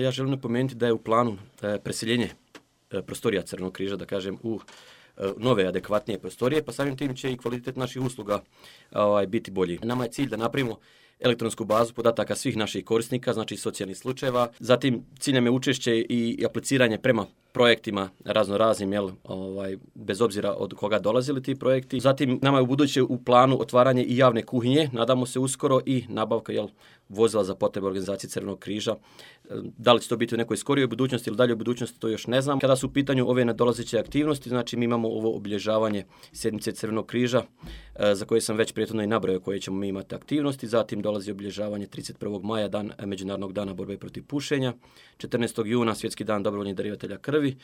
Ja želim napomenuti da je u planu preseljenje prostorija Crvenog križa, da kažem, u nove, adekvatnije prostorije, pa samim tim će i kvalitet naših usluga biti bolji. Nama je cilj da napravimo elektronsku bazu podataka svih naših korisnika, znači socijalnih slučajeva. Zatim cilj nam je učešće i apliciranje prema projektima raznoraznim, bez obzira od koga dolazili ti projekti. Zatim nama je u buduće u planu otvaranje i javne kuhinje, nadamo se uskoro, i nabavka vozila za potrebe organizacije Crvenog križa. Da li će to biti u nekoj skorijoj budućnosti ili dalje u budućnosti, to još ne znam. Kada su u pitanju ove nadolazeće aktivnosti, znači mi imamo ovo obilježavanje sjednice Crvenog križa, za koje sam već prethodno i nabrojao koje ćemo mi imati aktivnosti. Zatim dolazi obilježavanje 31. maja, dan Međunarodnog dana borbe protiv pušenja, 14. juna Svjetski dan dobrovoljnih darivatelja krvi